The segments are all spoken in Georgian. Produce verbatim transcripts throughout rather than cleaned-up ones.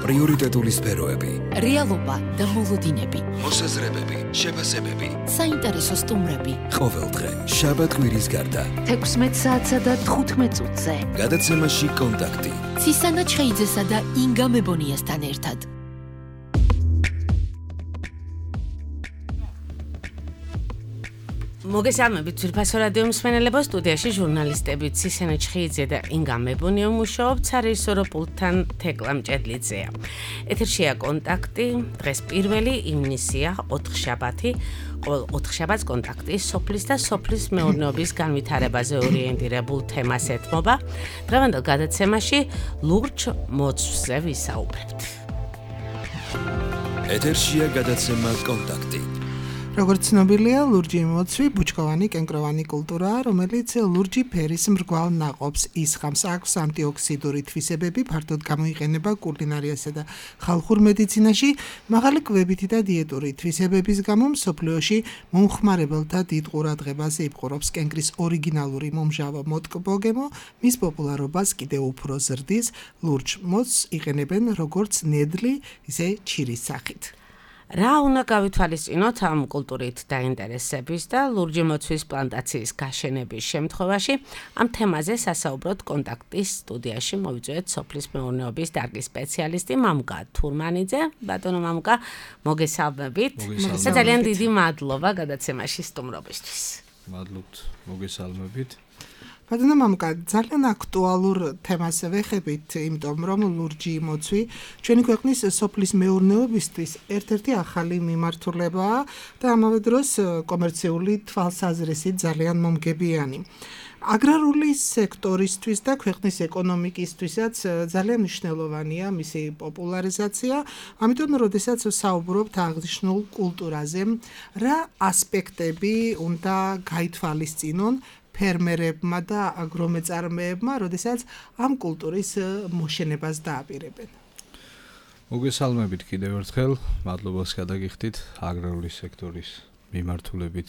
პრიორიტეტული სფეროები, რეალობა და მოლოდინები, მოსაზრებები, შეფასებები, საინტერესო სტუმრები. ყოველდღე შაბათ-კვირის გარდა თექვსმეტ საათსა და თხუთმეტ წუთზე. გადაცემაში კონტაქტი. ცისანა ჩხეიძესა და ინგა მებონიასთან ერთად. მოგესალმებით ძვირფასო რადიო მსმენელებო, სტუდიაში ჟურნალისტები ცისანა ჩხეიძე და ინგა მებონია მუშაობთ, სარეჟისორო პულტთან თეკლა მჭედლიძეა. ეთერშია კონტაქტი, დღეს პირველი ივნისია, ოთხშაბათი, ყოველ ოთხშაბათს კონტაქტი სოფლის და სოფლის მეურნეობის განვითარებაზე ორიენტირებულ თემას ეთმობა. დღევანდელ გადაცემაში ლურჯ მოცვზე ვისაუბრებთ. ეთერშია გადაცემა კონტაქტი. როგორც ცნობილია, ლურჯი მოცვი ბუჩქოვანი კენკროვანი კულტურაა, რომელიც ლურჯი ფერის მრგვალ ნაყოფს ისხამს. აქვს ანტიოქსიდური თვისებები, ფართოდ გამოიყენება კულინარიასა და ხალხურ მედიცინაში. მაღალი კვებითი და დიეტური თვისებების გამო მსოფლიოში მომხმარებელთა დიდ ყურადღებას იპყრობს კენკრის ორიგინალური მომჟავო მოტკბოგემო, მის პოპულარობას კიდევ უფრო ზრდის. ლურჯ მოცვს იყენებენ როგორც ნედლი, ისე ჩირის სახით. რა უნდა გავითვალისწინოთ ამ კულტურით დაინტერესების და ლურჯი მოცვის პლანტაციის გაშენების შემთხვევაში? ამ თემაზე სასაუბროთ კონტაქტის სტუდიაში მოვიწვიეთ სოფლის მეურნეობის დარგის სპეციალისტი მამუკა თურმანიძე. ბატონო მამუკა, მოგესალმებით. და ძალიან დიდი მადლობა გადაცემაში სტუმრობისთვის. მადლობთ, მოგესალმებით. ბატონო მამუკა, ძალიან აქტუალურ თემას ვეხებით, იმიტომ რომ ლურჯი მოცვი ჩვენი ქვეყნის სოფლის მეურნეობისთვის ერთ-ერთი ახალი მიმართულებაა და ამავე დროს კომერციული თვალსაზრისით ძალიან მომგებიანი. აგრარული სექტორისთვის და ქვეყნის ეკონომიკისთვისაც ძალიან მნიშვნელოვანია მისი პოპულარიზაცია. ამიტომ, როდესაც საუბრობთ აღნიშნულ კულტურაზე, რა ასპექტები უნდა გაითვალისწინონ ფერმერებმა და აგრომეწარმეებმა, როდესაც ამ კულტურის მოშენებას დააპირებენ? მოგესალმებით კიდევ ერთხელ, მადლობას გადაგიხდით აგრარული სექტორის მიმართულებით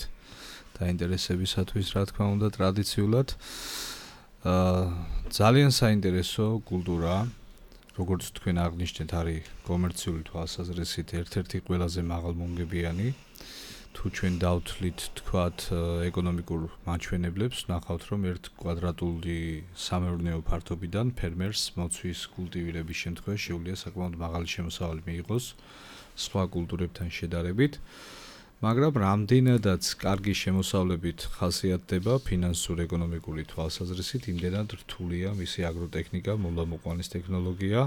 დაინტერესებისათვის, რა თქმა უნდა, ტრადიციულად. აა ძალიან საინტერესო კულტურაა, როგორც თქვენ აღნიშნეთ, არის კომერციული თვალსაზრისით ერთ-ერთი ყველაზე მაღალმომგებიანი. თუ ჩვენ დავთვლით, თქვათ, ეკონომიკურ მაჩვენებლებს, ნახავთ, რომ ერთ კვადრატული სამეურნეო ფართობიდან ფერმერს მოცვის კულტივირების შემთხვევაში შეუძლია საკმაოდ მაღალი შემოსავალი მიიღოს სხვა კულტურებთან შედარებით, მაგრამ რამდენადაც კარგი შემოსავლებით ხასიათდება ფინანსურ-ეკონომიკური თვალსაზრისით, იმდენად რთულია მისი აგროტექნიკა, მოლამოყვანის ტექნოლოგია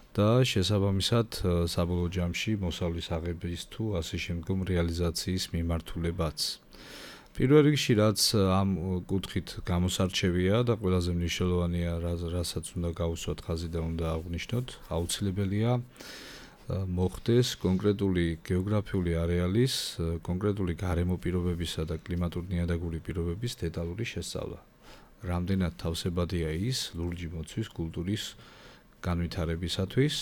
და შესაბამისად საბოლოო ჯამში მოსავლის აღების თუ ასე შემდგომ რეალიზაციის მიმართულებაც. პირველ რიგში რაც ამ კუთხით გამოსარჩევია და ყველაზე მნიშვნელოვანია, რასაც უნდა გავუსვათ ხაზი და უნდა აღვნიშნოთ, აუცილებელია მოხდეს კონკრეტული გეოგრაფიული არეალის, კონკრეტული გარემო პირობებისა და კლიმატურ-ნიადაგური პირობების დეტალური შესწავლა. რამდენად თავსებადია ის ლურჯი მოცვის კულტურის განვითარებისათვის,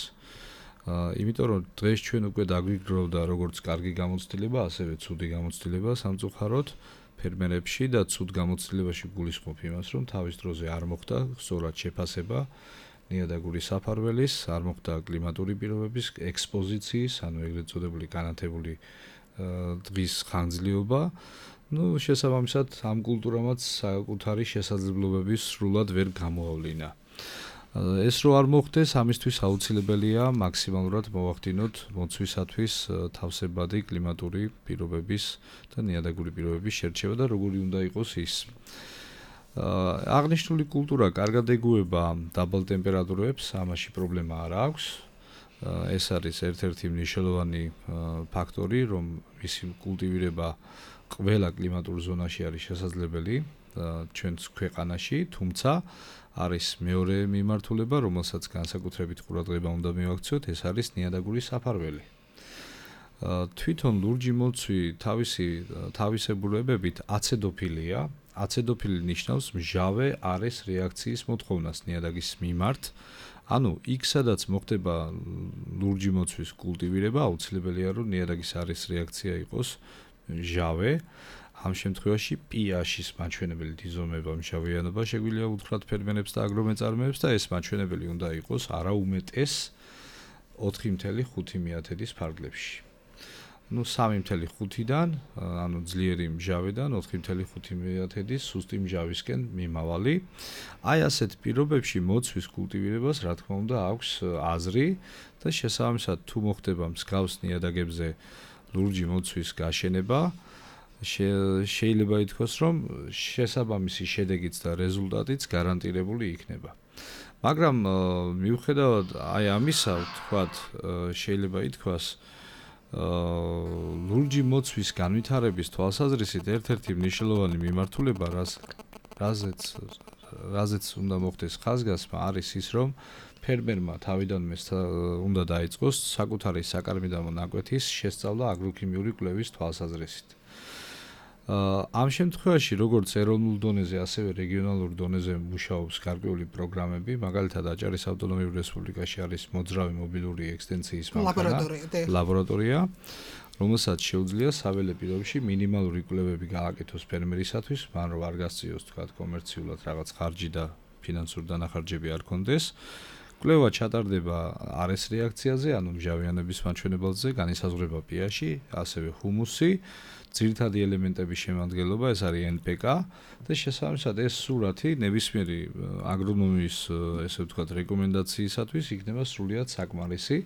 იმიტომ რომ დღეს ჩვენ უკვე დაგვიგროვდა როგორც კარგი გამოცდილება, ასევე ცუდი გამოცდილება სამწუხაროდ ფერმერებში და ცუდ გამოცდილებაში გულისხმობ იმას, რომ თავის დროზე არ მოხდა სწორად შეფასება ნიადაგური საფარველის, არ მოხდა კლიმატური პირობების ექსპოზიციის, ანუ ეგრეთ წოდებული განათებული დღის ხანგრძლივობა. ნუ შესაბამისად ამ კულტურამაც საკუთარი შესაძლებლობები სრულად ვერ გამოავლინა. ეს რო არ მოხდეს, ამისთვის აუცილებელია მაქსიმალურად მოვახდინოთ მოცვისათვის თავსებადი კლიმატური პირობების და ნიადაგური პირობების შერჩევა და როგორი უნდა იყოს ის. აღნიშნული კულტურა კარგად ეგუება დაბალ ტემპერატურებს, ამაში პრობლემა არ აქვს. ეს არის ერთ-ერთი მნიშვნელოვანი ფაქტორი, რომ მისი კულტივირება ყველა კლიმატურ ზონაში არის შესაძლებელი ჩვენს ქვეყანაში, თუმცა არის მეორე მიმართულება, რომელსაც განსაკუთრებით ყურადღება უნდა მივაქციოთ, ეს არის ნიადაგური საფარველი. თვითონ ლურჯი მოცვი თავისი თავისებურებებით აცედოფილია. აცედოფილი ნიშნავს მჟავე არეს რეაქციის მოთხოვნას ნიადაგის მიმართ. ანუ იქ სადაც მოხდება ლურჯი მოცვის კულტივირება, აუცილებელია რომ ნიადაგის არის რეაქცია იყოს მჟავე. ამ შემთხვევაში პიაშის მაჩვენებელი დიზომება მჟავიანობა შეგვიძლია უთხრათ ფერმერებს და აგრომეწარმეებს და ეს მაჩვენებელი უნდა იყოს არა უმეტეს ოთხი ათეული ხუთი მეათედის ფარგლებში. ну სამი ათეული ხუთიდან, ანუ ძლიერი მჟავიდან ოთხი ათეული ხუთი მეათედის სუსტი მჟავისკენ მიმავალი. აი ასეთ პირობებში მოცვის კულტივირებას, რა თქმა უნდა, აქვს აზრი და შესაბამისად თუ მოხდება მსგავს ნიადაგებზე ლურჯი მოცვის გაშენება, შეიძლება ითქვას, რომ შესაბამისი შედეგიც და რეზულტატიც გარანტირებული იქნება. მაგრამ მიუხედავად აი ამისა, ვთქვათ, შეიძლება ითქვას, ლურჯი მოცვის განვითარების თვალსაზრისით ერთ-ერთი მნიშვნელოვანი მიმართულება, რაზეც რაზეც უნდა მოხდეს ხაზგასმა, არის ის, რომ ფერმერმა თავიდანვე უნდა დაიწყოს საკუთარი საკარმიდამო ნაკვეთის შესწავლა აგროქიმიური კვლევის თვალსაზრისით. ამ შემთხვევაში, როგორც ეროვნულ დონეზე, ასევე რეგიონალურ დონეზე მუშაობს გარკვეული პროგრამები, მაგალითად აჭარის ავტონომიურ რესპუბლიკაში არის მოძრავი მობილური ექსტენციის ლაბორატორია, რომელსაც შეუძლია საველე პირობებში მინიმალური კვლევები გააკეთოს ფერმერისათვის, მან რომ არ გასწიოს თქვათ კომერციულად რაღაც ხარჯი და ფინანსური დანახარჯები არ კონდეს. კვლევა ჩატარდება არეს რეაქციაზე, ანუ მჟავიანების მაჩვენებელზე, განისაზღვრება pH-ი, ასევე ჰუმუსი, ძირითადი ელემენტების შემადგენლობა, ეს არის ენ პი კა და შესაბამისად ეს სურათი ნებისმიერი აგრონომიის, ესე ვთქვათ, რეკომენდაციისათვის იქნება სრულიად საკმარისი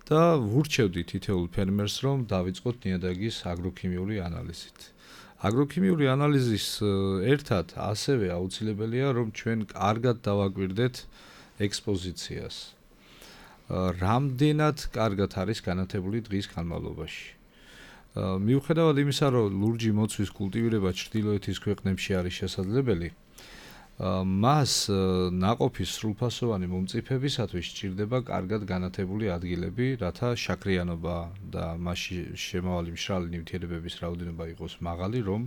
და ვურჩევდი თითოეულ ფერმერს, რომ დავიწყოთ ნიადაგის აგროქიმიური ანალიზით. აგროქიმიური ანალიზის ერთად ასევე აუცილებელია, რომ ჩვენ კარგად დავაკვირდეთ ექსპოზიციას. რამდენად კარგად არის განათებული დღის განმავლობაში. მიუხედავად იმისა, რომ ლურჯი მოცვის კულტივირება ჩრდილოეთის ქვეყნებში არის შესაძლებელი, მას ნაყოფის სრულფასოვანი მომწიფებისათვის სჭირდება კარგად განათებული ადგილები, რათა შაქრიანობა და მასში შემავალი მშრალი ნივთიერებების რაოდენობა იყოს მაღალი, რომ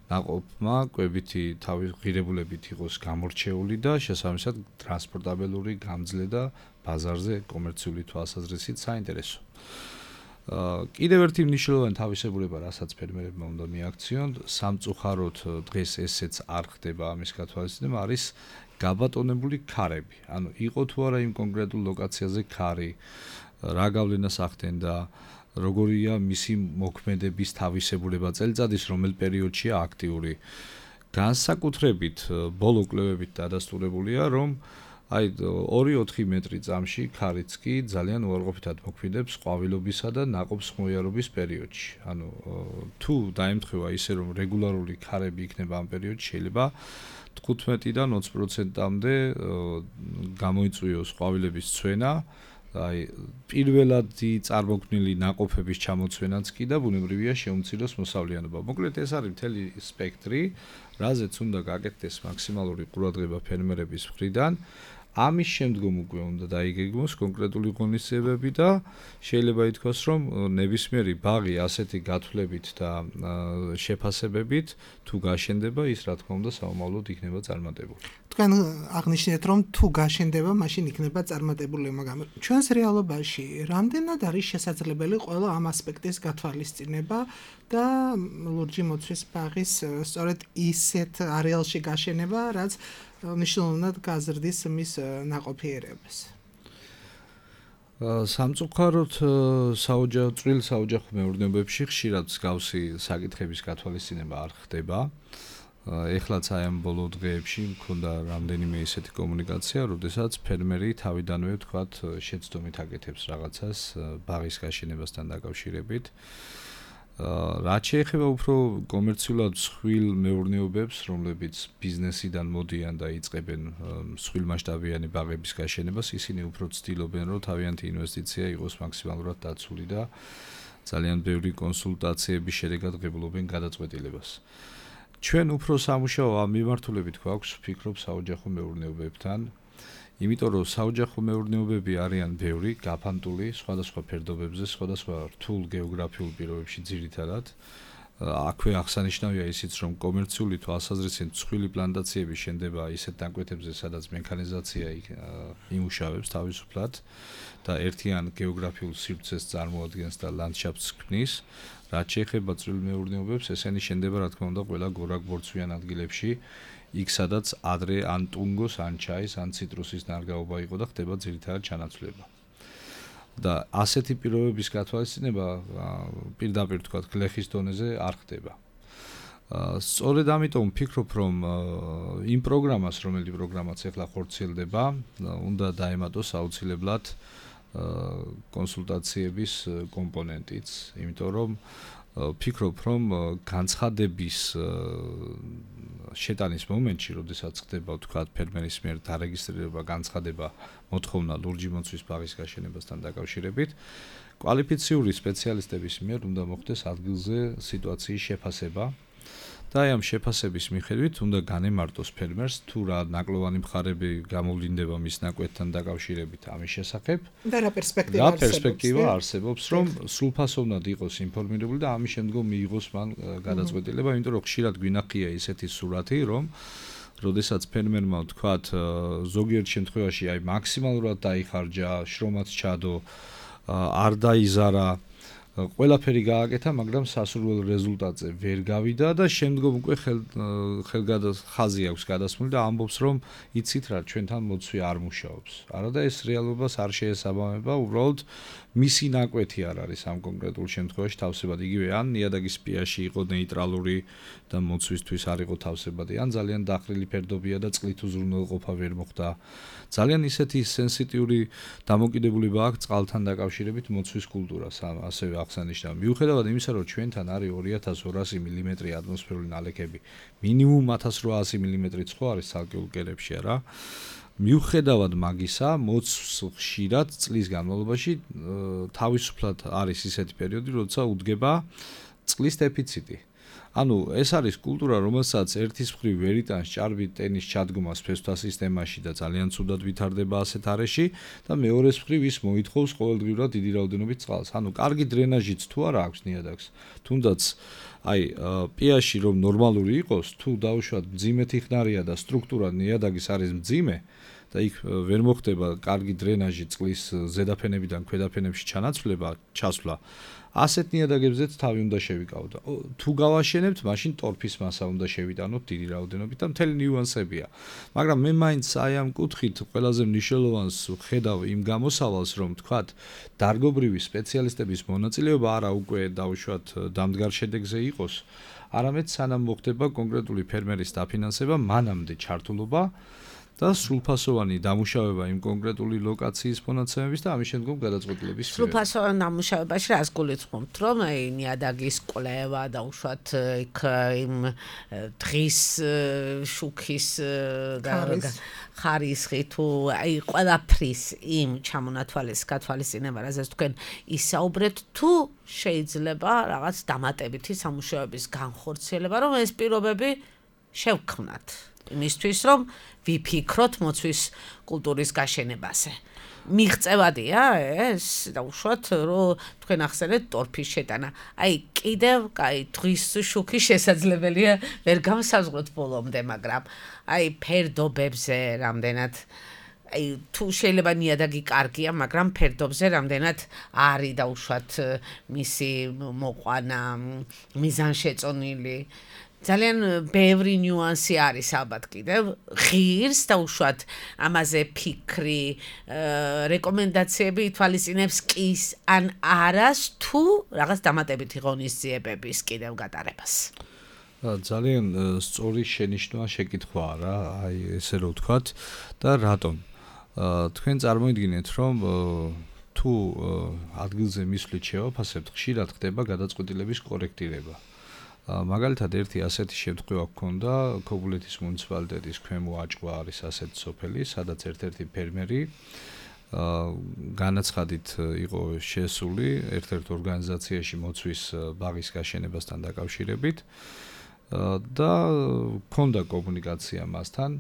ნაყოფმა კვებითი თავის ღირებულებით იყოს გამორჩეული და შესაბამისად ტრანსპორტაბელური გამძლე და ბაზარზე კომერციული თვალსაზრისით საინტერესო. კიდევ ერთი მნიშვნელოვანი თავისებურება, რასაც ფერმერებმა უნდა მიაქციონ, სამწუხაროდ დღეს ესეც არ ხდება ამის გათვალისწინება, არის გაბატონებული ქარები. ანუ იყო თუ არა იმ კონკრეტულ ლოკაციაზე ქარი, რა გავლენას ახდენდა, როგორია მისი მოქმედების თავისებურება, წელიწადის რომელ პერიოდშია აქტიური. განსაკუთრებით ბოლო კვლევებით დადასტურებულია, რომ აი ორი ოთხი მეტრი წამში ქარიც კი ძალიან უარყოფითად მოქმედებს ყვავილობისა და ნაყოფს ხმოვანობის პერიოდში. ანუ თუ დაემთხვევა ისე, რომ რეგულარული ქარები იქნება ამ პერიოდში, შეიძლება თხუთმეტიდან ოცი პროცენტამდე გამოიწვიოს ყვავილების ცვენა, აი პირველადი წარმოქმნილი ნაყოფების ჩამოცვენაც კი და ბუნებრივია შეუმციროს მოსავლიანობა. მოკლედ ეს არის მთელი სპექტრი, რაზეც უნდა გაკეთდეს მაქსიმალური ყურადღება ფერმერების მხრიდან. ამის შემდგომ უკვე უნდა დაიგეგმოს კონკრეტული ღონისძიებები და შეიძლება ითქვას, რომ ნებისმიერი ბაღი ასეთი გათვლებით და შეფასებებით თუ გაშენდება, ის რა თქმა უნდა საომავლოდ იქნება წარმატებული. თქვენ აღნიშნეთ, რომ თუ გაშენდება, მაშინ იქნება წარმატებული, მაგრამ ჩვენს რეალობაში რამდენად არის შესაძლებელი ყველა ამ ასპექტის გათვალისწინება და ლურჯი მოცვის ბაღის სწორედ ისეთ არეალში გაშენება, რაც მნიშვნელოვნად გაზრდის მის ნაყოფიერებას. სამწუხაროდ საოჯახო წვრილ საოჯახო მეურნეობებში ხშირად მსგავსი საკითხების გათვალისწინება არ ხდება. ეხლაც აი ამ ბოლო დღეებში მქონდა რამდენიმე ისეთი კომუნიკაცია, როდესაც ფერმერი თავიდანვე ვთქვათ შეცდომით აკეთებს რაღაცას ბაღის გაშენებასთან დაკავშირებით. რაც შეეხება უფრო კომერციულად მსხვილ მეურნეობებს, რომლებიც ბიზნესიდან მოდიან და იწყებენ მსხვილმასშტაბიანი ბაღების გაშენებას, ისინი უფრო ცდილობენ, რომ თავიანთი ინვესტიცია იყოს მაქსიმალურად დაცული და ძალიან ბევრი კონსულტაციების შედეგად ღებულობენ გადაწყვეტილებას. ჩვენ უფრო სამუშაო ამ მიმართულებით გვაქვს, ვფიქრობ, საოჯახო მეურნეობებთან. იმიტომ რომ საოჯახო მეურნეობები არიან ბევრი, გაფანტული სხვადასხვა ფერდობებზე, სხვადასხვა რთულ გეოგრაფიულ პირობებში ძირითადად. აქვე აღსანიშნავია ისიც, რომ კომერციული თვალსაზრისით მსხვილი პლანტაციები შენდება ისეთ ნაკვეთებზე, სადაც მექანიზაცია იმუშავებს თავისუფლად და ერთიან გეოგრაფიულ სივრცეს წარმოადგენს და ლანდშაფტს ქმნის. რაც შეეხება წვრილ მეურნეობებს, ესენი შენდება, რა თქმა უნდა, ყველა გორაკ-ბორცვიან ადგილებში. იქ სადაც ადრე ან ტუნგოს, ან ჩაის, ან ციტრუსის ნარგაობა იყო და ხდება ძირითადად ჩანაცვლება. და ასეთი პირობების გათვალისწინება პირდაპირ თქვა გლეხის დონეზე არ ხდება. სწორედ ამიტომ ვფიქრობ, რომ იმ პროგრამას, რომელიც პროგრამაც ახლა ხორციელდება, უნდა დაემატოს აუცილებლად კონსულტაციების კომპონენტიც, იმიტომ რომ ვფიქრობ, რომ განცხადების შეტანის მომენტში, როდესაც ხდება თქვა ფერმერის მიერ დარეგისტრირება, განცხადება, მოთხოვნა ლურჯი მოცვის ბაღის გაშენებასთან დაკავშირებით, კვალიფიციური სპეციალისტების მიერ უნდა მოხდეს ადგილზე სიტუაციის შეფასება. და აი ამ შეფასების მიხედვით უნდა განემარტოს ფერმერს თუ რა ნაკლოვანი მხარები გამოვლინდება მის ნაკვეთთან დაკავშირებით ამის შესახებ და რა პერსპექტივა არსებობს. რა პერსპექტივა არსებობს, რომ სრულფასოვნად იყოს ინფორმირებული და ამის შემდგომ მიიღოს მან გადაწყვეტილება, იმიტომ რომ ხშირად გვინახია ისეთი სურათი, რომ როდესაც ფერმერმა ვთქვათ, ზოგიერთ შემთხვევაში აი მაქსიმალურად დაიხარჯა, შრომაც ჩადო, არ დაიზარა ყველაფერი გააკეთა, მაგრამ სასურველ რეზულტატზე ვერ გავიდა და შემდგომ უკვე ხელგადახაზი აქვს გადასმული და ამბობს, რომ იცით რა, ჩვენთან მოცვი არ მუშაობს. არადა ეს რეალობას არ შეესაბამება, უბრალოდ მისი ნაკვეთი არ არის ამ კონკრეტულ შემთხვევაში თავსებად. იგივე ან ნიადაგის პიაში იყო ნეიტრალური და მოცვისთვის არ იყო თავსებადი, ან ძალიან დახრილი ფერდობია და წყლით უზრუნველყოფა ვერ მოხდა. ძალიან ისეთი სენსიტიური დამოკიდებულება აქვს წყალთან დაკავშირებით მოცვის კულტურას, ასევე აღსანიშნავი. მიუხედავად იმისა, რომ ჩვენთან არის ორი ათას ორასი მილიმეტრი ატმოსფერული ნალექები, მინიმუმ ათას რვაასი მილიმეტრიც ხო არის ცალკეულ კერებში, არა? მიუხედავად მაგისა, მოცვს ხშირად წლის განმავლობაში თავისუფლად არის ისეთი პერიოდი, როცა უდგება წყლის დეფიციტი. ანუ ეს არის კულტურა, რომელსაც ერთის მხრივ ვერ იტანს ჭარბი ტენის ჩადგომას ფესვთა სისტემაში და ძალიან ცუდად ვითარდება ასეთ არეში და მეორეს მხრივ ის მოითხოვს ყოველდღიურად დიდი რაოდენობით წყალს. ანუ კარგი დრენაჟიც თუ არა აქვს ნიადაგს, თუნდაც აი პიაში რომ ნორმალური იყოს, თუ დაუშვათ მძიმეთი ხნარია და სტრუქტურა ნიადაგის არის მძიმე და იქ ვერ მოხდება კარგი დრენაჟი წყლის ზედაფენებიდან ქვედაფენებში ჩანაცვლება, ჩასვლა, ასეთ ნიადაგებზეც თავი უნდა შევიკავდო. თუ გავაშენებთ, მაშინ ტორფის მასა უნდა შევიტანოთ დიდი რაოდენობით და მთელი ნიუანსებია. მაგრამ მე მაინც აი ამ კუთხით ყველაზე მნიშვნელოვანს ვხედავ იმ გამოსავალს, რომ თქვათ, დარგობრივი სპეციალისტების მონაწილეობა არა უკვე დაუშვათ დამდგარ შედეგზე იყოს, არამედ სანამ მოხდება კონკრეტული ფერმერის დაფინანსება, მანამდე ჩართულობა და სრულფასოვანი დამუშავება იმ კონკრეტული ლოკაციის მონაცემების და ამის შემდგომ გადაწყვეტილების მიერ. სრულფასოვან დამუშავებაში რას გულისხმობთ, რომ აი ნიადაგის კვლევა და უშუალოდ იქ იმ დღის შუქის ხარისხი თუ აი ყველაფრის იმ ჩამონათვალის გათვალისწინება, რასაც თქვენ ისაუბრეთ, თუ შეიძლება რაღაც დამატებითი სამუშაოების განხორციელება, რომ ეს პირობები შევქმნათ. იმისთვის რომ ვიფიქროთ მოცვის კულტურის გაშენებაზე. მიღწევადია ეს და უშუალოდ რომ თქვენ ახსენეთ ტორფის შეტანა. აი კიდევ კაი დღის შუქი შესაძლებელია ვერ გამსაზღვროთ ბოლომდე, მაგრამ აი ფერდობებზე რამდენად აი თუ შეიძლება ნიადაგი კარგია, მაგრამ ფერდობზე რამდენად არის და უშუალოდ მისი მოყვანა მიზანშეწონილი ძალიან ბევრი ნიუანსი არის ალბათ კიდევ ღირს და უშუალოდ ამაზე ფიქრი, რეკომენდაციები ითვალისწინებს კის ან არას თუ რაღაც დამატებითი ღონისძიებების კიდევ გატარებას. ძალიან სწორი შენიშვნა შეკითხვაა რა, აი ესე რომ ვთქვათ და რატომ? თქვენ წარმოიდგინეთ, რომ თუ ადგილზე მისვლით შევაფასებთ, ხშირად ხდება გადაწყვეტილების კორექტირება. მაგალითად ერთი ასეთი შემთხვევა გქონდა ქობულეთის მუნიციპალიტეტის ქვემო აჭყვა არის ასეთი სოფელი, სადაც ერთ-ერთი ფერმერი განაცხადით იყო შესული ერთ-ერთ ორგანიზაციაში მოცვის ბაღის გაშენებასთან დაკავშირებით და გქონდა კომუნიკაცია მასთან.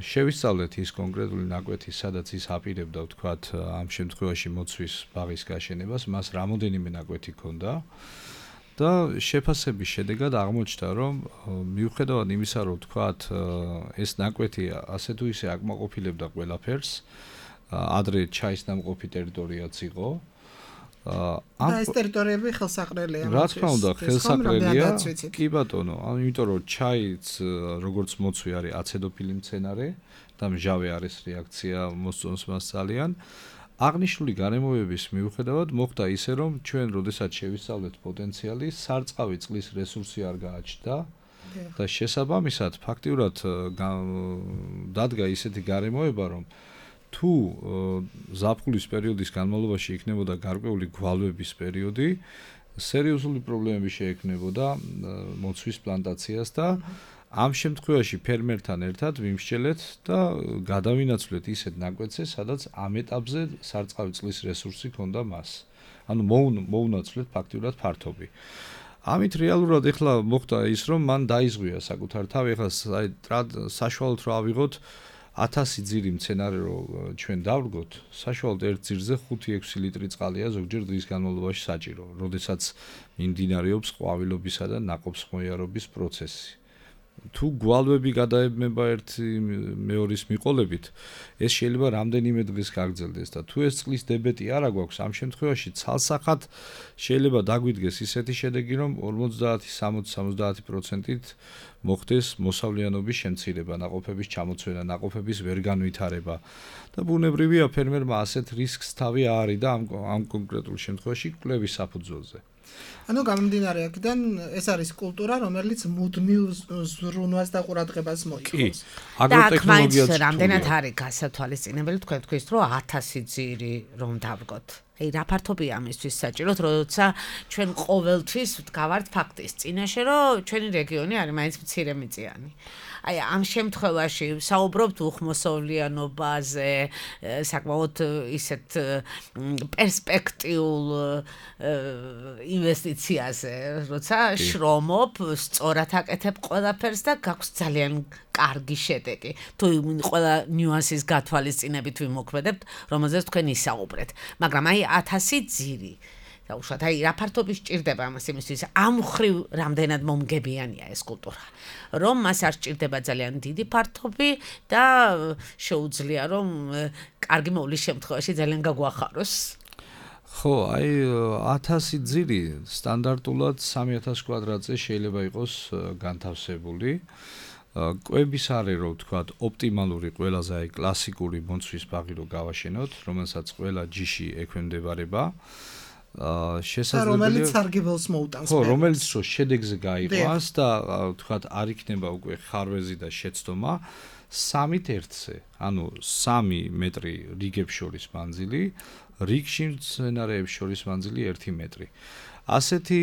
შევისწავლეთ ის კონკრეტული ნაკვეთი, სადაც ის აპირებდა ვთქვათ ამ შემთხვევაში მოცვის ბაღის გაშენებას, მას რამოდენიმე ნაკვეთი ჰქონდა. და შეფასების შედეგად აღმოჩნდა, რომ მიუხედავად იმისა, რომ თქვათ ეს ნაკვეთი ასე თუ ისე აკმაყოფილებდა ყველაფერს, ადრე ჩაის დამყოფი ტერიტორიაც იყო. და ეს ტერიტორიები ხელსაყრელია. რა თქმა უნდა, ხელსაყრელია. კი ბატონო, იმიტომ რომ ჩაიც როგორც მოცვი არის აცედოფილი მცენარე და მჟავე არის რეაქცია მოსწონს მას ძალიან. აღნიშნული გარემოებების მიუხედავად მოხდა ისე, რომ ჩვენ როდესაც შევისწავლეთ პოტენციალი, სარწყავი წყლის რესურსი არ გააჩნდა და შესაბამისად ფაქტიურად დადგა ისეთი გარემოება, რომ თუ ზაფხულის პერიოდის განმავლობაში იქნებოდა გარკვეული გვალვების პერიოდი, სერიოზული პრობლემები შეექმნებოდა მოცვის პლანტაციას და ამ შემთხვევაში ფერმერთან ერთად ვიმსჯელეთ და გადავინაცვლეთ ისეთ ნაკვეთზე, სადაც ამ ეტაპზე სარწყავი წყლის რესურსი ჰქონდა მას. ანუ მოუნაცვლეთ ფაქტიურად ფართობი. ამით რეალურად ეხლა მოხდა ის, რომ მან დაიზღვია საკუთარ თავი, ეხლა საშუალოდ რა ავიღოთ ათასი ძირი მცენარე რო ჩვენ დავრგოთ, საშუალოდ ერთ ძირზე ხუთი ექვსი ლიტრი წყალია ზოგჯერ დღის განმავლობაში საჭირო, როდესაც მიმდინარეობს ყვავილობისა და ნაყოფსხმოიარობის პროცესი. თუ გვალვები გადაებმება ერთი მეორის მიყოლებით, ეს შეიძლება რამდენიმე დღეს გაგრძელდეს და თუ ეს წყლის დებეტი არ აგვაქვს, ამ შემთხვევაში ცალსახად შეიძლება დაგვიდგეს ისეთი შედეგი, რომ ორმოცდაათი სამოცი სამოცდაათი პროცენტით მოხდეს მოსავლიანობის შემცირება, ნაყოფების ჩამოცვენა, ნაყოფების ვერ განვითარება და ბუნებრივია ფერმერმა ასეთ რისკს თავი აარიდა ამ ამ კონკრეტულ შემთხვევაში კვლევის საფუძველზე. ანუ გამომდინარე აქედან ეს არის კულტურა, რომელიც მუდმივ ზრუნვას და ყურადღებას მოითხოვს. აგროტექნოლოგიაც რამდენად არის გასათვალისწინებელი თქვენ თქვით, რომ ათასი ძირი რომ დავგოთ. აი რა ფართობია ამისთვის საჭიროთ, როცა ჩვენ ყოველთვის ვდგავართ ფაქტის წინაშე, რომ ჩვენი რეგიონი არის მაინც მცირემიწიანი. აი ამ შემთხვევაში საუბრობთ უხმოსავლიანობაზე, საკმაოდ ისეთ პერსპექტიულ ინვესტიციაზე, როცა შრომობ, სწორად აკეთებ ყველაფერს და გაქვს ძალიან კარგი შედეგი. თუ ყველა ნიუანსის გათვალისწინებით ვიმოქმედებთ, რომელზეც თქვენ ისაუბრეთ. მაგრამ აი ათასი ძირი და უშუალოდ აი რა ფართობი სჭირდება ამას იმისთვის, ამ ხრივ რამდენად მომგებიანია ეს კულტურა, რომ მას არ სჭირდება ძალიან დიდი ფართობი და შეუძლია რომ კარგი მოვლის შემთხვევაში ძალიან გაგვახაროს. ხო, აი ათასი ძირი სტანდარტულად სამი ათას კვადრატზე შეიძლება იყოს განთავსებული. კვების არე რო ვთქვათ, ოპტიმალური ყველაზე აი კლასიკური მოცვის ბაღი რო გავაშენოთ, რომელსაც ყველა ჯიში ექვემდებარება. აა შესაძლებელია რომელიც სარგებელს მოუტანს. ხო, რომელიც რო შედეგზე გაიყვანს და ვთქვათ, არ იქნება უკვე ხარვეზი და შეცდომა სამით ერთზე, ანუ სამი მეტრი რიგებს შორის მანძილი, რიგში მცენარეებს შორის მანძილი ერთი მეტრი. ასეთი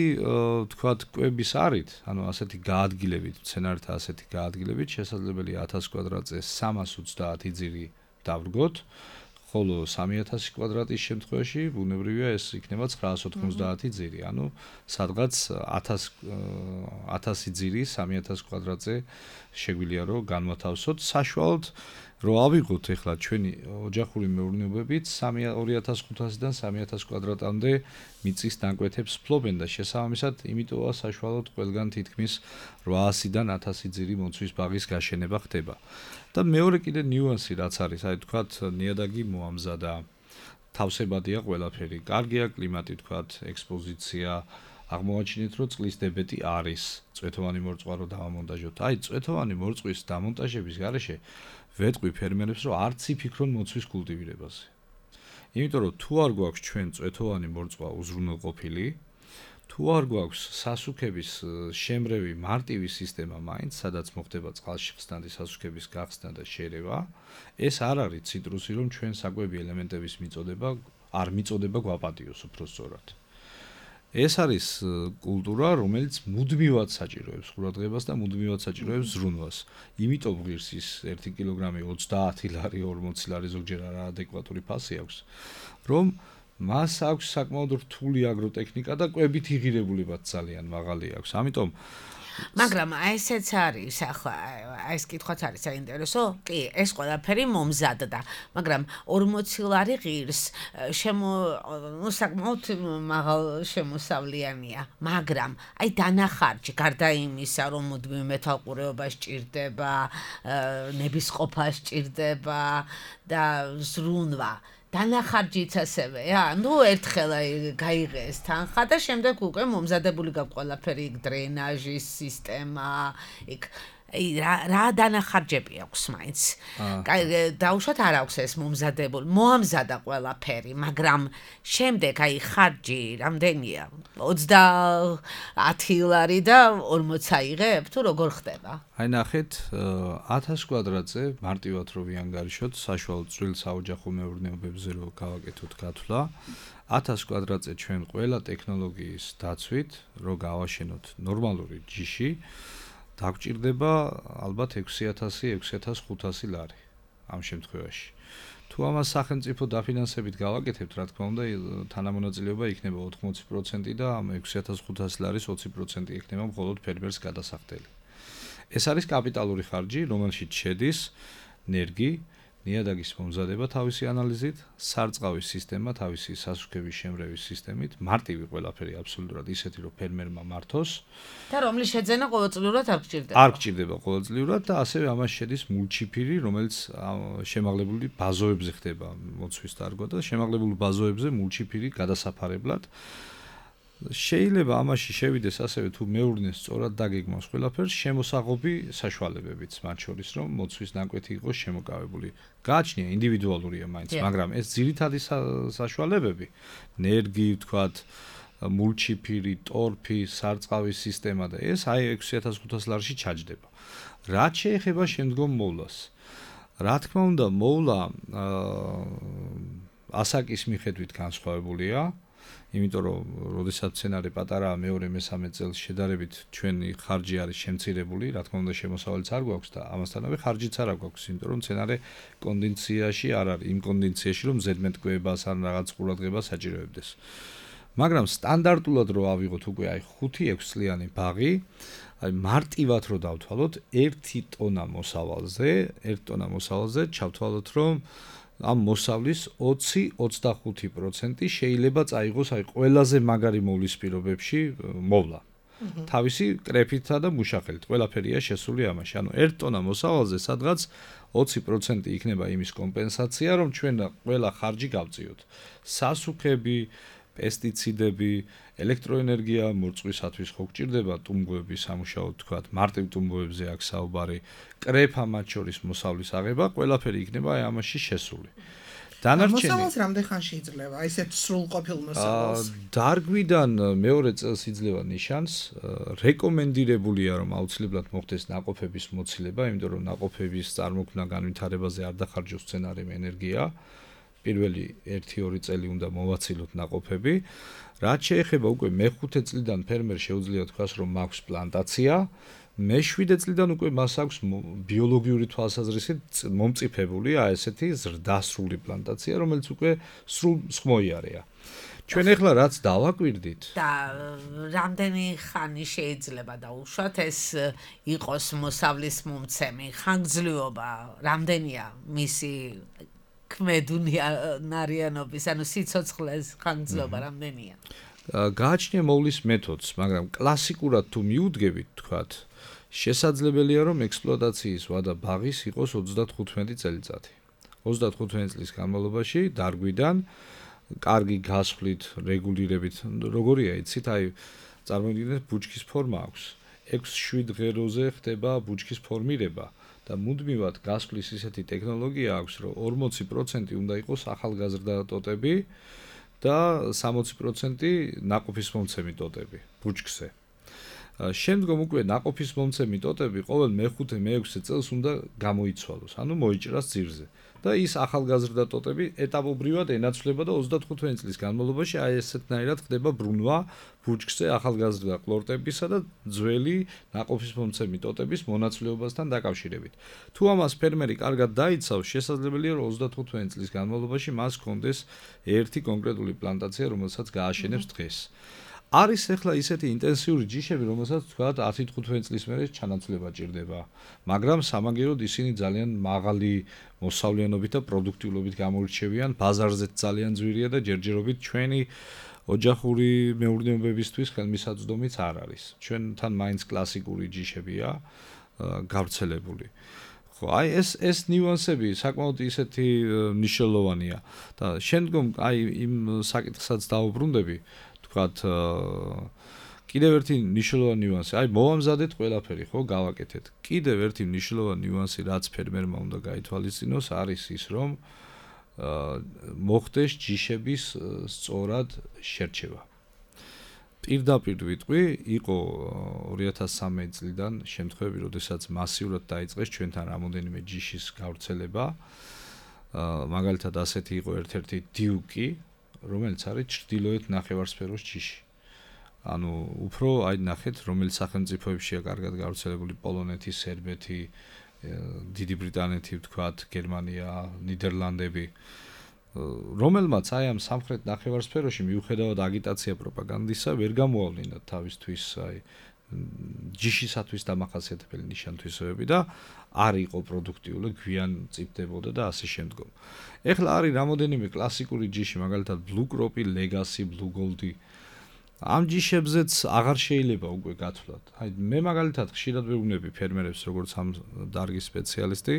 ვთქვათ, კვების არით, ანუ ასეთი გაადგილებით, მცენარეთა ასეთი გაადგილებით შესაძლებელია ათას კვადრატზე სამას ოცდაათი ძირი დავრგოთ, ხოლო სამი ათასი კვადრატის შემთხვევაში ბუნებრივია ეს იქნება ცხრაას ოთხმოცდაათი ძირი, ანუ სადღაც ათასი ძირი სამი ათას კვადრატზე შეგვიძლია რომ განვათავსოთ, საშუალოდ რო ავიღოთ ეხლა ჩვენი ოჯახური მეურნეობებით ორი ათას ხუთასიდან სამი ათას კვადრატამდე მიწის ნაკვეთებს ფლობენ და შესაბამისად იმიტომა საშუალოდ ყველგან თითქმის რვაასიდან ათასი ძირი მოცვის ბაღის გაშენება ხდება. და მეორე კიდე ნიუანსი რაც არის, აი თქვათ ნიადაგი მოამზადა, თავსებადია ყველაფერი, კარგია კლიმატი თქვათ, ექსპოზიცია, აღმოაჩინეთ რომ წყლის დებეტი არის, წვეთოვანი მორწვა რო დავამონტაჟოთ. აი წვეთოვანი მორწვის დამონტაჟების გარეშე ვეტყვი ფერმერებს რომ არც იფიქრონ მოცვის კულტივირებაზე. იმიტომ რომ თუ არ გვაქვს ჩვენ წვეთოვანი მორწვა უზრუნველყოფილი, თუ არ გვაქვს სასუქების შემრევი მარტივი სისტემა მაინც, სადაც მოხდება წყალში ხსნადი სასუქების გახსნა და შერევა, ეს არ არის ციტრუსი, რომ ჩვენ საკვები ელემენტების მიწოდება არ მიწოდება გვაპატიოს უფრო სწორად. ეს არის კულტურა, რომელიც მუდმივად საჭიროებს ყურადღებას და მუდმივად საჭიროებს ზრუნვას. იმიტომ ღირს ის ერთი კილოგრამი ოცდაათი ლარი, ორმოცი ლარი ზოგჯერ არაადეკვატური ფასი აქვს, რომ მას აქვს საკმაოდ რთული აგროტექნიკა და კვებით იღირებულებაც ძალიან მაღალი აქვს. ამიტომ მაგრამ ესეც არის, ახლა ეს კითხვაც არის საინტერესო. კი, ეს ყველაფერი მომზადდა, მაგრამ ორმოცი ლარი ღირს შემო ნუ საკმაოდ მაღალ შემოსავლიანია, მაგრამ აი დანახარჯი, გარდა იმისა, რომ მუდმივ მეთვალყურეობა სჭირდება, ნებისყოფა სჭირდება და ზრუნვა. დანახარჯიც ასევეა, ნუ ერთხელ გაიღეს თანხა და შემდეგ უკვე მომზადებული გაქვს ყველაფერი, იქ დრენაჟის სისტემა, იქ აი რა რა დანახარჯები აქვს მაინც. დაუშვათ არ აქვს ეს მომზადებული. მოამზადა ყველაფერი, მაგრამ შემდეგ აი ხარჯი რამდენია? ოცდაათი ლარი და ორმოც აიღებ თუ როგორ ხდება? აი ნახეთ, ათას კვადრატზე მარტივად რო ვიანგარიშოთ, საშუალო წვრილ საოჯახო მეურნეობებზე რო გავაკეთოთ გათვლა, ათას კვადრატზე ჩვენ ყველა ტექნოლოგიის დაცვით რო გავაშენოთ ნორმალური ჯიში, დაგჭირდება ალბათ ექვსი ათასი ექვსი ათას ხუთასი ლარი ამ შემთხვევაში. თუ ამას სახელმწიფო დაფინანსებით გავაკეთებთ, რა თქმა უნდა, თანამონაწილეობა იქნება ოთხმოცი პროცენტი და ამ ექვსი ათას ხუთასი ლარის ოცი პროცენტი იქნება მხოლოდ ფერმერს გადასახდელი. ეს არის კაპიტალური ხარჯი, რომელშიც შედის ნერგი, ნიადაგის მომზადება თავისი ანალიზით, სარწყავის სისტემა თავისი სასუქების შემრევის სისტემით, მარტივი ყველაფერი აბსოლუტურად ისეთი, რომ ფერმერმა მართოს და რომლის შეძენა ყოველწლიურად არ გჭირდება. არ გჭირდება ყოველწლიურად და ასევე ამას შედის მულჩიფირი, რომელიც შემაღლებული ბაზოებზე ხდება მოცვის დარგვა და შემაღლებულ ბაზოებზე მულჩიფირი გადასაფარებლად შეიძლება ამაში შევიდეს ასევე თუ მეურნეს სწორად დაგეგმავს ყველაფერს შემოსაღობი საშუალებებით, მათ შორის რომ მოცვის ნაკვეთი იყოს შემოკავებული. გააჩნია ინდივიდუალურია მაინც, მაგრამ ეს ძირითადი საშუალებები, ნერგი, ვთქვათ, მულჩიფირი, ტორფი, სარწყავის სისტემა და ეს აი ექვსი ათას ხუთასი ლარში ჩაჯდება. რაც შეეხება შემდგომ მოვლას. რა თქმა უნდა, მოვლა ასაკის მიხედვით განსხვავებულია. იმიტომ რომ როდესაც სცენარი პატარაა მეორე მესამე წელს შედარებით ჩვენი ხარჯი არის შემცირებული, რა თქმა უნდა შემოსავალიც არ გვაქვს და ამასთანავე ხარჯიც არ გვაქვს, იმიტომ რომ სცენარი კონდიციაში არ არის, იმ კონდიციაში რომ ზედმეტკვებას ან რაღაც ყურადღებას საჭიროებდეს. მაგრამ სტანდარტულად რო ავიღოთ უკვე აი ხუთი ექვსი წლიანი ბაღი, აი მარტივად რო დავთვალოთ ერთი ტონა მოსავალზე, ერთი ტონა მოსავალზე ჩავთვალოთ რომ ამ მოსავლის ოცი ოცდახუთი პროცენტი შეიძლება წაიღოს აი ყველაზე მაგარი მოვლის პირობებში მოვლა. თავისი კრეფითა და მუშახელით ყველაფერია შესული ამაში. ანუ ერთი ტონა მოსავალზე სადღაც ოცი პროცენტი იქნება იმის კომპენსაცია, რომ ჩვენ ყველა ხარჯი გავწიოთ. სასუქები, პესტიციდები, ელექტროენერგია მორწყვისათვის ხო გჭირდება ტუმბოების სამუშაოდ, თქვათ, მარტივ ტუმბოებზე აქ საუბარი, კრეფა მათ შორის მოსავლის აღება, ყველაფერი იქნება აი ამაში შესული. დანარჩენი მოსავალს რამდენ ხანში იძლევა? აი ესეთ სრულყოფილ მოსავალს. დარგვიდან მეორე წელს იძლევა ნიშანს, რეკომენდირებულია რომ აუცილებლად მოხდეს ნაყოფების მოცილება, იმიტომ რომ ნაყოფების წარმოქმნა განვითარებაზე არ დახარჯოს სცენარიმ ენერგია. პირველი ერთი ორი წელი უნდა მოვაცილოთ ნაყოფები. რაც შეეხება უკვე მეხუთე წლიდან ფერმერ შეუძლია თქვას რომ მაქვს პლანტაცია, მეშვიდე წლიდან უკვე მას აქვს ბიოლოგიური თვალსაზრისით მომწიფებული აი ესეთი ზრდასრული პლანტაცია, რომელიც უკვე სრულ სხმოიარეა. ჩვენ ახლა რაც დავაკვირდით და რამდენი ხანი შეიძლება დაუშვათ ეს იყოს მოსავლის მომცემი, ხანგრძლივობა რამდენია მისი ქმედუნარიანობის, ანუ სიცოცხლეს ხანგრძლივობა რამდენია? გააჩნია მოვლის მეთოდს, მაგრამ კლასიკურად თუ მიუდგებით, თქვათ, შესაძლებელია რომ ექსპლუატაციის ვადა ბაღის იყოს ოცდათხუთმეტი წელიწადი. ოცდათხუთმეტი წლის განმავლობაში დარგვიდან კარგი გასვლით, რეგულირებით, როგორია იცით, აი წარმოგიდგენთ ბუჩქის ფორმა აქვს. ექვს შვიდ ღეროზე ხდება ბუჩქის ფორმირება. და მუდმივად გასვლის ისეთი ტექნოლოგია აქვს, რომ ორმოცი პროცენტი უნდა იყოს ახალგაზრდა ტოტები და სამოცი პროცენტი ნაყოფის მომცემი ტოტები ბუჩქზე. შემდგომ უკვე ნაყოფის მომცემი ტოტები ყოველ მეხუთე მეექვსე წელს უნდა გამოიცვალოს, ანუ მოიჭრას ძირზე. და ის ახალგაზრდა ტოტები ეტაპობრივად ენაცვლება და ოცდათხუთმეტი წლის განმავლობაში აი ესეთნაირად ხდება ბრუნვა ბუჩქზე ახალგაზრდა ყლორტებისა და ძველი ნაყოფის მომცემი ტოტების მონაცვლეობასთან დაკავშირებით. თუ ამას ფერმერი კარგად დაიცავს, შესაძლებელია რომ ოცდათხუთმეტი წლის განმავლობაში მას ჰქონდეს ერთი კონკრეტული პლანტაცია, რომელსაც გააშენებს დღეს. არის ახლა ისეთი ინტენსიური ჯიშები, რომელსაც თქვათ ათი თხუთმეტი წლის მერე ჩანაცვლება ჭირდება, მაგრამ სამაგიეროდ ისინი ძალიან მაღალი მოსავლიანობით და პროდუქტიულობით გამოირჩევიან, ბაზარზეც ძალიან ძვირია და ჯერჯერობით ჩვენი ოჯახური მეურნეობებისთვის ხელმისაწვდომიც არ არის. ჩვენთან მაინც კლასიკური ჯიშებია გავრცელებული. ხო, აი ეს ეს ნიუანსები საკმაოდ ისეთი მნიშვნელოვანია და შემდგომ აი იმ საკითხსაც დავუბრუნდები, თქვათ კიდევ ერთი მნიშვნელოვანი ნიუანსი, აი მოვამზადეთ ყველაფერი, ხო, გავაკეთეთ. კიდევ ერთი მნიშვნელოვანი ნიუანსი, რაც ფერმერმა უნდა გაითვალისწინოს, არის ის, რომ მოხდეს ჯიშების სწორად შერჩევა. პირდაპირ ვიტყვი, იყო ორი ათას სამი წლიდან შემთხვევები, როდესაც მასიურად დაიწყეს ჩვენთან რამოდენიმე ჯიშის გავრცელება. მაგალითად ასეთი იყო ერთ-ერთი დიუკი, რომელიც არის ჩრდილოეთ ნახევარსფეროს ჯიში. ანუ უფრო აი ნახეთ, რომელიც სახელმწიფოებშია კარგად გავრცელებული პოლონეთი, სერბეთი, დიდი ბრიტანეთი, ვთქვათ, გერმანია, ნიდერლანდები, რომელმაც აი ამ სამხრეთ ნახევარსფეროში მიუხედავად აგიტაცია პროპაგანდისა ვერ გამოავლინათ თავისთვის აი ჯიშისათვის დამახასიათებელი ნიშან-თვისებები და არ იყო პროდუქტიული, გვიან წიფდებოდა და ასე შემდგომ. ეხლა არის რამოდენიმე კლასიკური ჯიში, მაგალითად Blue Crop, Legacy, Blue Gold. ამ ჯიშებზეც აღარ შეიძლება უკვე გათვლათ. აი მე მაგალითად ხშირად ვეუბნები ფერმერებს, როგორც ამ დარგის სპეციალისტი,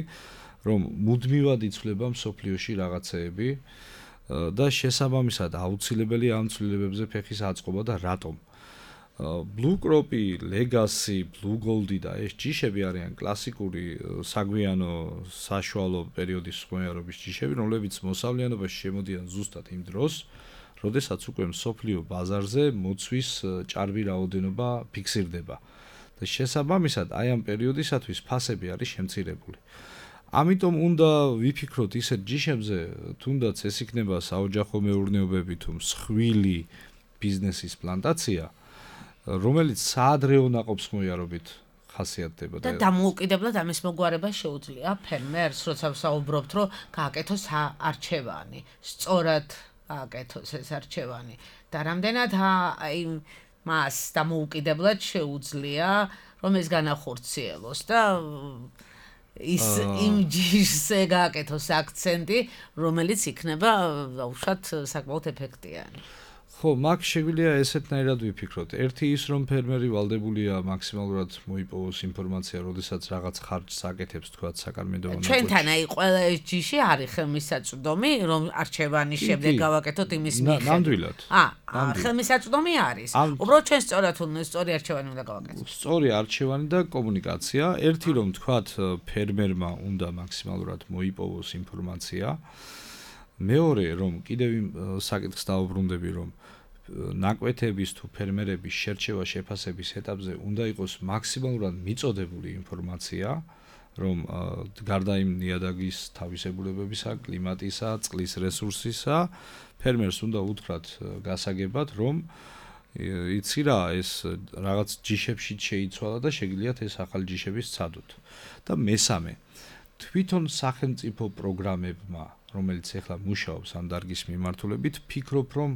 რომ მუდმივად იცვლება მსოფლიოში რაღაცეები და შესაბამისად აუცილებელი ამ ცვლილებებზე ფეხის აწყობა და რატომ? Blue Crop, Legacy, Blue Gold და ეს ჯიშები არიან კლასიკური საგვიანო საშუალო პერიოდის ხმოვანობის ჯიშები, რომლებიც მოსავლიანობაში შემოდიან ზუსტად იმ დროს, როდესაც უკვე მსოფლიო ბაზარზე მოცვის ჭარბი რაოდენობა ფიქსირდება და შესაბამისად აი ამ პერიოდისათვის ფასები არის შემცირებული. ამიტომ უნდა ვიფიქროთ ისეთ ჯიშებზე, თუნდაც ეს იქნება საოჯახო მეურნეობები თუ მსხვილი ბიზნესის პლანტაცია, რომელიც საადრეო ნაყოფსხმოიარობით ხასიათდება და დამოუკიდებლად ამის მოგვარება შეუძლია ფერმერს, როცა ვსაუბრობთ, რომ გააკეთოს არჩევანი, სწორად გააკეთოს ეს არჩევანი და რამდენად აი მას დამოუკიდებლად შეუძლია, რომ ეს განახორციელოს და ის იმ ჯიშზე გააკეთოს აქცენტი, რომელიც იქნება უშუალოდ საკმაოდ ეფექტიანი. ხო, მაგ შეგვიძლია ესეთნაირად ვიფიქროთ. ერთი ის, რომ ფერმერი ვალდებულია მაქსიმალურად მოიპოვოს ინფორმაცია, როდესაც რაღაც ხარჯს აკეთებს, თქვათ, საკარმიდო მონოპოლში. ჩვენთან აი ყველა ეს ჯიში არის ხელმისაწვდომი, რომ არჩევანის შემდეგ გავაკეთოთ იმის მიხედვით. ნამდვილად. აა, ხელმისაწვდომი არის. უბრალოდ ჩვენ სწორად უნდა სწორი არჩევანი უნდა გავაკეთოთ. სწორი არჩევანი და კომუნიკაცია. ერთი რომ თქვათ, ფერმერმა უნდა მაქსიმალურად მოიპოვოს ინფორმაცია. მეორე რომ კიდევ იმ საკითხს დავუბრუნდები, რომ ნაკვეთების თუ ფერმერების შერჩევა შეფასების ეტაპზე უნდა იყოს მაქსიმალურად მიწოდებული ინფორმაცია, რომ გარდა იმ ნიადაგის თავისებურებებისა, კლიმატისა, წყლის რესურსისა, ფერმერს უნდა უთხრათ გასაგებად, რომ იცი რა, ეს რაღაც ჯიშებში შეიცვალა და შეგიძლიათ ეს ახალი ჯიშები სცადოთ. და მესამე, თვითონ სახელმწიფო პროგრამებმა, რომელიც ახლა მუშაობს ამ დარგის მიმართულებით, ფიქრობ, რომ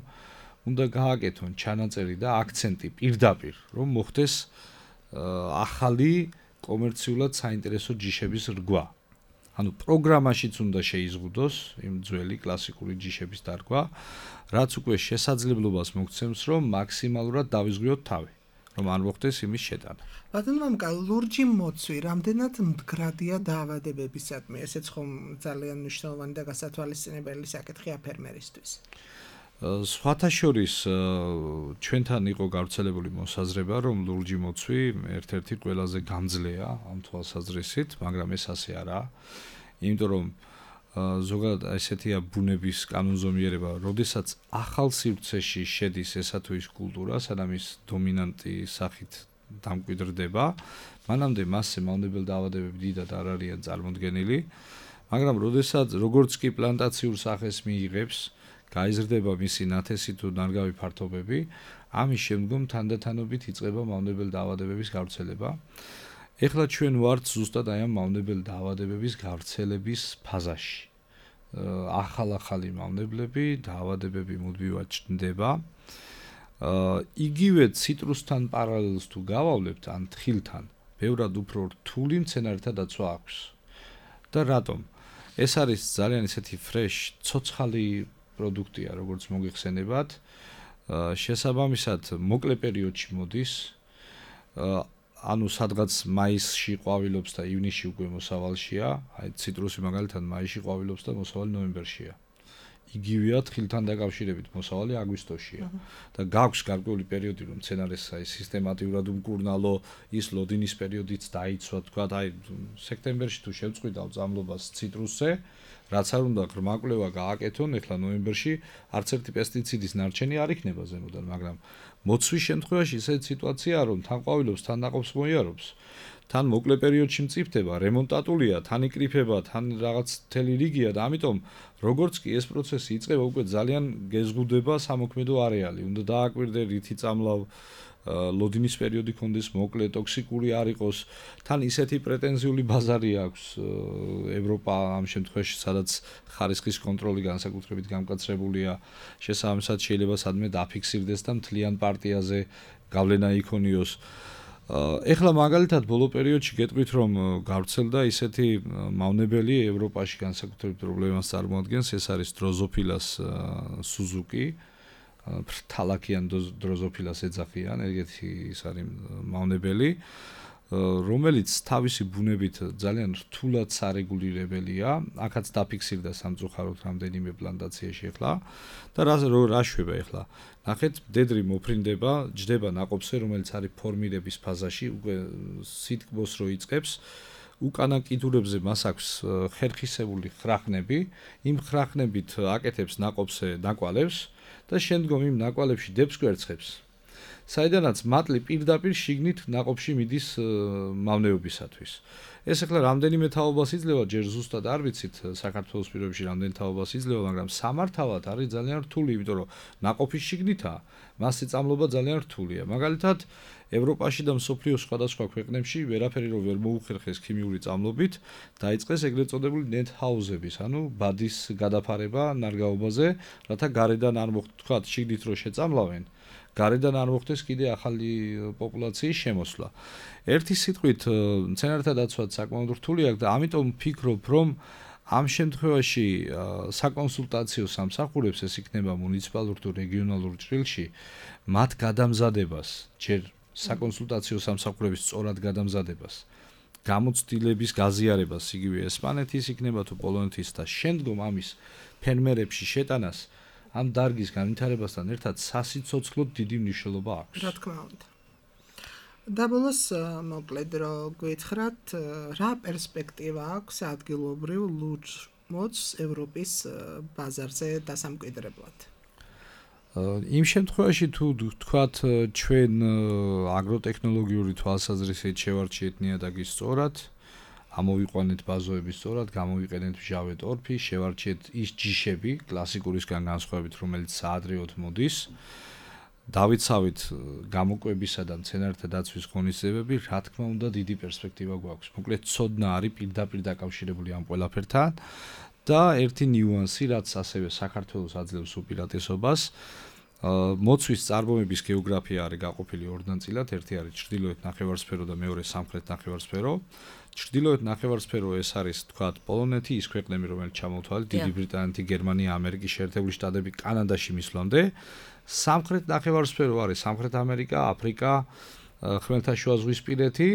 უნდა გააკეთონ ჩანაწერი და აქცენტი პირდაპირ, რომ მოხდეს ახალი კომერციულად საინტერესო ჯიშების რგვა. ანუ პროგრამაშიც უნდა შეიზღუდოს იმ ძველი კლასიკური ჯიშების დარგვა, რაც უკვე შესაძლებლობას მოგცემს, რომ მაქსიმალურად დავიზღვიოთ თავი, რომ არ მოხდეს იმის შეტანა. ბატონო მამკა, ლურჯი მოცვი რამდენად მდგრადია დაავადებებისადმი, ესეც ხომ ძალიან მნიშვნელოვანი და გასათვალისწინებელი საკითხია ფერმერისთვის. სხვათა შორის ჩვენთან იყო გავრცელებული მოსაზრება, რომ ლურჯი მოცვი ერთ-ერთი ყველაზე გამძლეა ამ თვალსაზრისით, მაგრამ ეს ასე არაა. იმიტომ რომ ზოგადად ესეთია ბუნების კანონზომიერება, როდესაც ახალ სივრცეში შედის ესა თუ ის კულტურა, სანამ ის დომინანტი სახით დამკვიდრდება, მანამდე მასზე მავნებელ დაავადებები დიდად არ არიან წარმოდგენილი, მაგრამ როდესაც როგორც კი პლანტაციურ სახეს მიიღებს, გაიზრდება მისი ნათესი თუ ნარგავი ფართობები, ამის შემდგომ თანდათანობით იწყება მავნებელ დაავადებების გავრცელება. ეხლა ჩვენ ვართ ზუსტად აი ამ მავნებელ დაავადებების გავრცელების ფაზაში. ახალ-ახალი მავნებლები, დაავადებები მუდმივად ჩნდება. იგივე ციტრუსთან პარალელს თუ გავავლებთ ან თხილთან, ბევრად უფრო რთული მცენარეთა დაცვა აქვს. და რატომ? ეს არის ძალიან ისეთი ფრეშ, ცოცხალი პროდუქტია, როგორც მოგიხსენებათ. შესაბამისად, მოკლე პერიოდში მოდის. ანუ სადღაც მაისში ყვავილობს და ივნისში უკვე მოსავალშია, აი ციტრუსი მაგალითად მაისში ყვავილობს და მოსავალი ნოემბერშია. იგივეა თხილთან დაკავშირებით მოსავალი აგვისტოშია და გაქვს გარკვეული პერიოდი რომ მცენარეს აი სისტემატიურად უმკურნალო ის ლოდინის პერიოდიც დაიცვა თქვა აი სექტემბერში თუ შევწყვიტავ წამლობას ციტრუსზე რაც არ უნდა ღრმაკვლევა გააკეთონ ეხლა ნოემბერში არც ერთი პესტიციდის ნარჩენი არ იქნება ზემოდან მაგრამ მოცვის შემთხვევაში ისეთი სიტუაციაა რომ თან ყვავილობს თან ნაყოფს მოიარობს თან მოკლე პერიოდში მწიფდება, რემონტატულია, თან იკრიფება, თან რაღაც მთელი რიგია და ამიტომ როგორც კი ეს პროცესი იწყება, უკვე ძალიან გეზღუდება სამოქმედო არეალი. უნდა დააკვირდე რითი წამლავ ლოდინის პერიოდი კონდეს მოკლე, ტოქსიკური არ იყოს. თან ისეთი პრეტენზიული ბაზარი აქვს ევროპა ამ შემთხვევაში, სადაც ხარისხის კონტროლი განსაკუთრებით გამკაცრებულია. შესაბამისად შეიძლება სადმე დაფიქსირდეს და მთლიან პარტიაზე გავლენა იქონიოს. ეხლა მაგალითად ბოლო პერიოდში გეტყვით რომ გავრცელდა ისეთი მავნებელი ევროპაში განსაკუთრებით პრობლემას წარმოადგენს ეს არის დროზოფილას სუზუკი ფრთალაკიან დროზოფილას ეძახიან ეგეთი ის არის მავნებელი რომელიც თავისი ბუნებით ძალიან რთულად სარეგულირებელია აქაც დაფიქსირდა სამწუხაროდ რამდენიმე პლანტაციაში ეხლა და რა რა შვება ეხლა ნახეთ მდედრი მოფრინდება ჯდება ნაყოფზე რომელიც არის ფორმირების ფაზაში უკვე სითბოს რო იწყებს უკანა კიდურებზე მას აქვს ხერხისებული ხრახნები იმ ხრახნებით აკეთებს ნაყოფზე ნაკვალებს და შემდგომ იმ ნაკვალებში დებს კვერცხებს საიდანაც მატლი პირდაპირ შიგნით ნაყოფში მიდის მავნეობისათვის. ეს ახლა რამდენიმე თაობას იძლევა, ჯერ ზუსტად არ ვიცით საქართველოს პირობებში რამდენი თაობას იძლევა, მაგრამ სამართავად არის ძალიან რთული, იმიტომ რომ ნაყოფის შიგნითაა, მასზე წამლობა ძალიან რთულია. მაგალითად, ევროპაში და მსოფლიოს სხვადასხვა ქვეყნებში ვერაფერი რო ვერ მოუხერხეს ქიმიური წამლობით, დაიწყეს ეგრეთ წოდებული ნეტჰაუზების, ანუ ბადის გადაფარება ნარგაობაზე, რათა გარედან არ მოხდათ შიგნით რო შეწამლავენ. გარედან არ მოხდეს კიდე ახალი პოპულაციის შემოსვლა. ერთი სიტყვით, მცენარეთა დაცვა საკმაოდ რთული აქვს და ამიტომ ვფიქრობ, რომ ამ შემთხვევაში საკონსულტაციო სამსახურებს ეს იქნება მუნიციპალურ თუ რეგიონალურ ჭრილში, მათ გადამზადებას, ჯერ საკონსულტაციო სამსახურების სწორად გადამზადებას, გამოცდილების გაზიარებას, იგივე ესპანეთის იქნება თუ პოლონეთის და შემდგომ ამის ფერმერებში შეტანას ამ დარგის განვითარებასთან ერთად სასიცოცხლოდ დიდი მნიშვნელობა აქვს. რა თქმა უნდა. და ბოლოს მოკლედ რო გითხრათ, რა პერსპექტივა აქვს ადგილობრივ ლურჯ მოძს ევროპის ბაზარზე დასამკვიდრებლად? იმ შემთხვევაში თუ თქვათ ჩვენ აგროტექნოლოგიური თვალსაზრისით შევარჩიეთ ნიადაგის სწორად ამოვიყვანეთ ბაზოების სწორად, გამოვიყენეთ მჟავე ტორფი, შევარჩიეთ ის ჯიშები, კლასიკურისგან განსხვავებით, რომელიც საადრეოდ მოდის. დავიცავით გამოკვებისა და მცენარეთა დაცვის ღონისძიებები, რა თქმა უნდა, დიდი პერსპექტივა გვაქვს. მოკლედ, ცოდნა არის პირდაპირ დაკავშირებული ამ ყველაფერთან და ერთი ნიუანსი, რაც ასევე საქართველოს აძლევს უპირატესობას, მოცვის წარმოების გეოგრაფია არის გაყოფილი ორ ნაწილად, ერთი არის ჩრდილოეთ ნახევარსფერო და მეორე სამხრეთ ნახევარსფერო. ჩრდილოეთ ნახევარსფერო ეს არის თქვათ პოლონეთი, ის ქვეყნები რომელიც ჩამოვთვალეთ, დიდი ბრიტანეთი, გერმანია, ამერიკის შეერთებული შტატები, კანადაში მისვლამდე. სამხრეთ ნახევარსფერო არის სამხრეთ ამერიკა, აფრიკა, ხმელთაშუაზღვისპირეთი.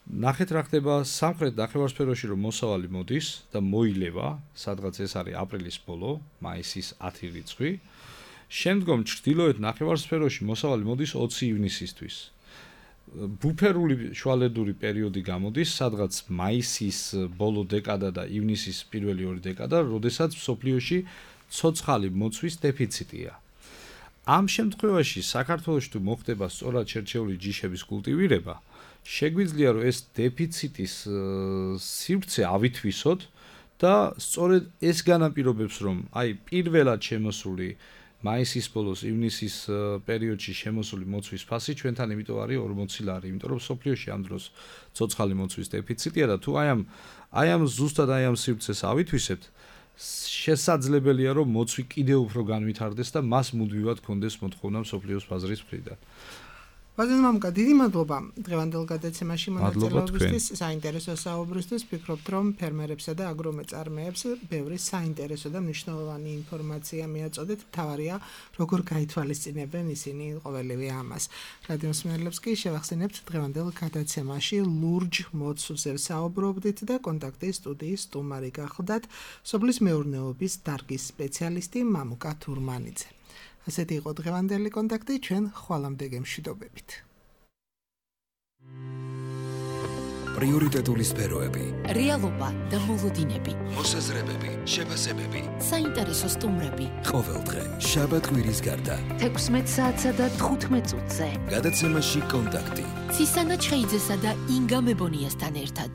ნახეთ რა ხდება სამხრეთ ნახევარსფეროში რომ მოსავალი მოდის და მოილევა, სადღაც ეს არის აპრილის ბოლო, მაისის ათი რიცხვი. შემდგომ ჩრდილოეთ ნახევარსფეროში მოსავალი მოდის ოცი ივნისისთვის. ბუფერული შუალედური პერიოდი გამოდის, სადღაც მაისის ბოლო დეკადა და ივნისის პირველი ორი დეკადა, როდესაც მსოფლიოში ცოცხალი მოცვის დეფიციტია. ამ შემთხვევაში საქართველოში თუ მოხდება სწორად შერჩეული ჯიშების კულტივირება, შეგვიძლია რომ ეს დეფიციტის სივრცე ავითვისოთ და სწორედ ეს განაპირობებს რომ აი პირველად შემოსული მაისის ბოლოს ივნისის პერიოდში შემოსული მოცვის ფასი ჩვენთან იმიტომ არის ორმოცი ლარი, იმიტომ რომ სოფლიოში ამ დროს ცოცხალი მოცვის დეფიციტია და თუ აი ამ აი ამ ზუსტად აი ამ სივრცეს ავითვისებთ, შესაძლებელია რომ მოცვი კიდევ უფრო განვითარდეს და მას მუდმივად კონდეს მოთხოვნა სოფლიოს ბაზრის მხრიდან. ბატონო მამუკა, დიდი მადლობა დღევანდელ გადაცემაში მონაწილეობისთვის, საინტერესო საუბრისთვის. ვფიქრობთ, რომ ფერმერებსა და აგრომეწარმეებს ბევრი საინტერესო და მნიშვნელოვანი ინფორმაცია მიაწოდეთ. მთავარია, როგორ გაითვალისწინებენ ისინი ყოველივე ამას. რადიო მსმენელებს კი შევახსენებთ დღევანდელ გადაცემაში ლურჯ მოცვზე საუბრობდით და კონტაქტის სტუდიის სტუმარი გახლდათ სოფლის მეურნეობის დარგის სპეციალისტი მამუკა თურმანიძე. ასეთი იყო დღევანდელი კონტაქტი, ჩვენ ხვალამდე გემშვიდობებით. პრიორიტეტული სფეროები, რეალობა და მოლოდინები, მოსაზრებები, შეფასებები, საინტერესო სტუმრები. ყოველდღე შაბათ კვირის გარდა. თექვსმეტ საათსა და თხუთმეტ წუთზე. გადაცემაში კონტაქტი. ცისანა ჩხეიძესა და ინგა მებონიასთან ერთად.